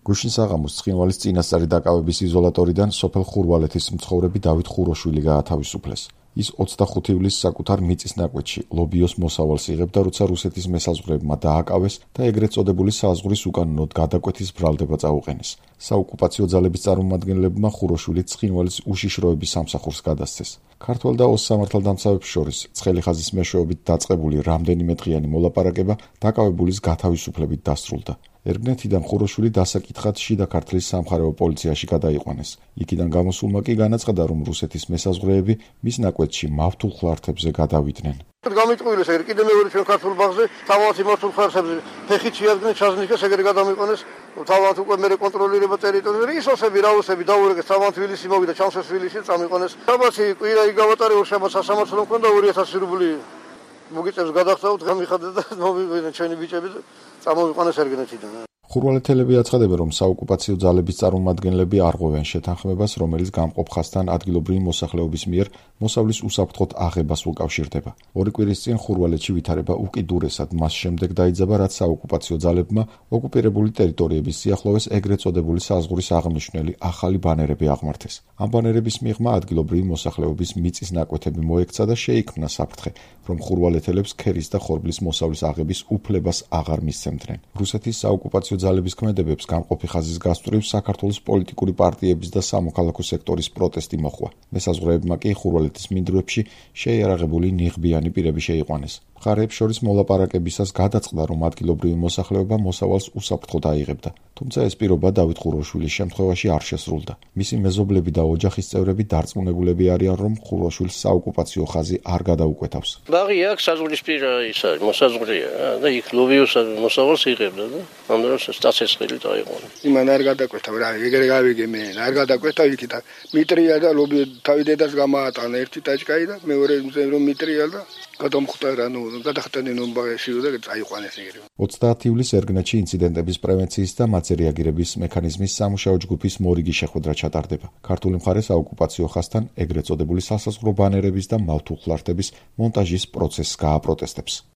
გუშინ საღამოს ცხინვალის წინასწარი დაკავების იზოლატორიდან სოფელ ხურვალეთის მცხოვრები დავით ხუროშვილი გაათავისუფლეს. ის 25 ივლისს საკუთარ მიწის ნაკვეთში ლობიოს მოსავალს იღებდა, როცა რუსეთის მესაზღვრეებმა დააკავეს და ეგრეთ წოდებული საზღვრის უკანონოდ გადაკვეთის ბრალდება წაუყენეს. საოკუპაციო ძალების წარმომადგენლებმა ხუროშვილით ცხინვალის უშიშროების სამსახურს გადასცეს. ქართველ და ოს სამართალდამცავებს შორის ცხელი ხაზის მეშვეობით დაწყებული რამდენიმე დღიანი მოლაპარაკება დაკავებულის გათავისუფლებით დასრულდა. ერგნეთიდან ხუროშვილი დასაკითხად შიდა ქართლის სამხარეო პოლიციაში გადაიყვანეს. იქიდან გამოსულმა კი განაცხადა, რომ რუსეთის მესაზღვრეები მის ნაკვეთში მავთულ ხლართებზე გადავიდნენ. გამიტყუილეს ეგრე კიდე მეორე ჩვენ ქართულ ბაღზე თავად მავთულ ხლართებზე ფეხით შეადგენენ ჩაზნიკეს ეგრე გადამიყვანეს თავად უკვე მე კონტროლირება ტერიტორიაზე ისოსები რაუსები დაურეგეს თავად თბილისი მოვიდა ჩამსეს თბილისში წამიყვანეს საბათი კვირა იგავატარე ორშაბათს სასამართლო მქონდა 2000 რუბლი მოგიწევს გადახსოვთ გამიხადეთ და მოვიყვნენ ჩვენი ბიჭები წამოვიყვანეს ერგნეთიდან. ხურვალეთელები აცხადებენ, რომ საოკუპაციო ძალების წარმომადგენლები არღვევენ შეთანხმებას, რომელიც გამყოფ ხაზთან ადგილობრივი მოსახლეობის მიერ მოსავლის უსაფრთხოდ აღებას უკავშირდება. ორი კვირის წინ ხურვალეთში ვითარება უკიდურესად მას შემდეგ დაიძაბა, რაც საოკუპაციო ძალებმა ოკუპირებული ტერიტორიების სიახლოვეს ეგრეთ წოდებული საზღვრის აღმნიშვნელი ახალი ბანერები აღმართეს. ამ ბანერების მიღმა ადგილობრივი მოსახლეობის მიწის ნაკვეთები მოექცა და შეიქმნა საფრთხე, რომ ხურვალეთელებს ქერის და ხორბლის მოსავლის აღების უფლებას აღარ მისცემდნენ. რუსეთის საოკუპაციო ძალების ქმედებებს გამყოფი ხაზის გასწვრივ საქართველოს პოლიტიკური პარტიების და სამოქალაქო სექტორის პროტესტი მოჰყვა. მესაზღვრეებმა კი ხურვალეთის მინდვრებში შეიარაღებული ნიღბიანი პირები შეიყვანეს. მხარეებს შორის მოლაპარაკებისას გადაწყდა, რომ ადგილობრივი მოსახლეობა მოსავალს უსაფრთხოდ აიღებდა. თუმცა ეს პირობა დავით ხუროშვილის შემთხვევაში არ შესრულდა. მისი მეზობლები და ოჯახის წევრები დარწმუნებულები არიან, რომ ხუროშვილს საოკუპაციო ხაზი არ გადაუკვეთავს. ბაღი აქ საზღვრისპირა ისა მოსაზღვრეა და იქ ლობიოს მოსავალს იღებდა და ამ დროს სტაცესხელი დაიყვანა. იმან არ გადაკვეთავ რა, ეგრე გავიგე მე, არ გადაკვეთავ იქით მიტრია და ლობი თავი დედას გამაატანა ერთი ტაჭკაი და მეორე რომ მიტრია და გადამხვდა რა ნუ გადახტენენ ომბაღეში და წაიყვანეს ეგრე. 30 ივლისს ერგნეთში ინციდენტების პრევენციის და მათზე რეაგირების მექანიზმის სამუშაო ჯგუფის მორიგი შეხვედრა ჩატარდება. ქართული მხარე საოკუპაციო ხაზთან ეგრეთ წოდებული სასაზღვრო ბანერების და მავთულ ხლართების მონტაჟის პროცესს გააპროტესტებს.